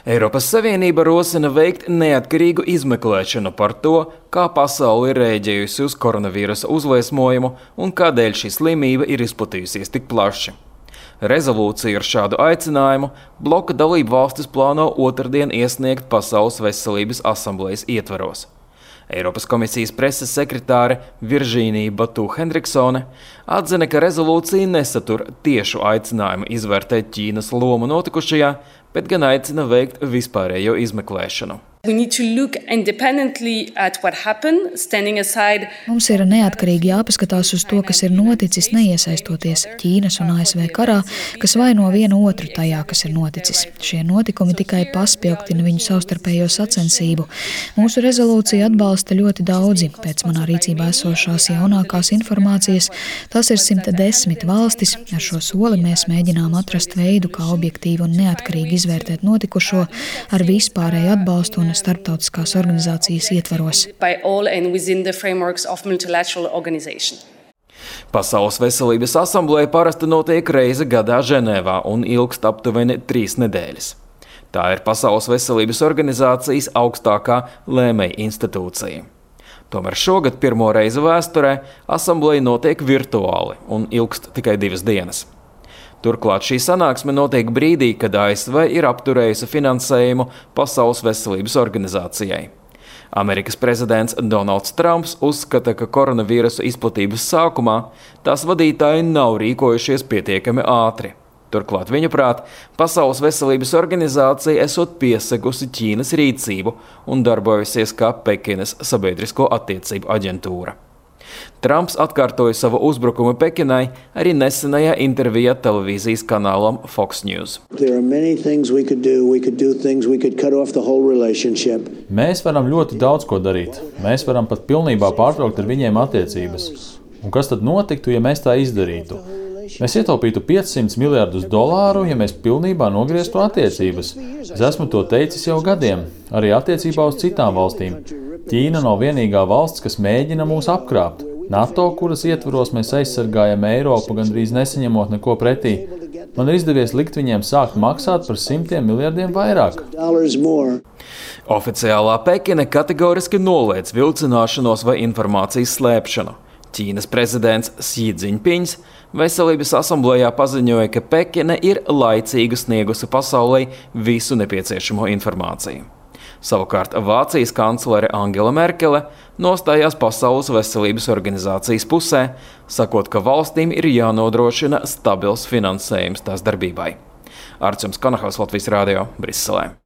Eiropas Savienība rosina veikt neatkarīgu izmeklēšanu par to, kā pasaule ir rēģējusi uz koronavīrusa uzliesmojumu un kādēļ šī slimība ir izplatījusies tik plaši. Rezolūciju ar šādu aicinājumu bloka dalību valstis plāno otrdien iesniegt Pasaules veselības asamblejas ietvaros. Eiropas komisijas preses sekretāre Viržīnija Batu Hendriksone atzina, ka rezolūcija nesatur tiešu aicinājumu izvērtēt Ķīnas lomu notikušajā, bet gan aicina veikt vispārējo izmeklēšanu. Mums ir neatkarīgi jāpaskatās uz to, kas ir noticis, neiesaistoties Ķīnas un ASV karā, kas vaino vienu otru tajā, kas ir noticis. Šie notikumi tikai paspilgtina viņu savstarpējo sacensību. Mūsu rezolūcija atbalsta ļoti daudzi. Pēc manā rīcībā esošās jaunākās informācijas, tas ir 110 valstis. Ar šo soli mēs mēģinām atrast veidu, kā objektīvi un neatkarīgi izvērtēt notikušo ar vispārēju atbalstu un starptautiskās organizācijas ietvaros. Pasaules veselības asambleja parasti notiek reizi gadā Ženēvā un ilgst aptuveni 3 nedēļas. Tā ir Pasaules veselības organizācijas augstākā lēmēja institūcija. Tomēr šogad pirmo reizi vēsturē asambleja notiek virtuāli un ilgst tikai 2 dienas. Turklāt šī sanāksme notiek brīdī, kad ASV ir apturējusi finansējumu Pasaules veselības organizācijai. Amerikas prezidents Donalds Trumps uzskata, ka koronavīrusa izplatības sākumā tās vadītāji nav rīkojušies pietiekami ātri. Turklāt viņaprāt, Pasaules veselības organizācija esot piesegusi Ķīnas rīcību un darbojusies kā Pekinas sabiedrisko attiecību aģentūra. Trumps atkārtoja savu uzbrukumu Pekinai arī nesenajā intervijā televīzijas kanālam Fox News. Mēs varam ļoti daudz ko darīt. Mēs varam pat pilnībā pārtraukt ar viņiem attiecības. Un kas tad notiktu, ja mēs tā izdarītu? Mēs ietaupītu $500 miljardus, ja mēs pilnībā nogrieztu attiecības. Es esmu to teicis jau gadiem, arī attiecībā uz citām valstīm. Ķīna nav vienīgā valsts, kas mēģina mūs apkrāpt. NATO, kuras ietvaros mēs aizsargājam Eiropu, gandrīz nesaņemot neko pretī. Man ir izdevies likt viņiem sākt maksāt par $100 miljardiem vairāk. Oficiālā Pekina kategoriski noliedz vilcināšanos vai informācijas slēpšanu. Ķīnas prezidents Xi Jinpings veselības asamblējā paziņoja, ka Pekina ir laicīgi sniegusi pasaulei visu nepieciešamo informāciju. Savukārt Vācijas kanclere Angela Merkele nostājās Pasaules veselības organizācijas pusē, sakot, ka valstīm ir jānodrošina stabils finansējums tās darbībai. Arčuns Kanahals, Latvijas radio, Briselē.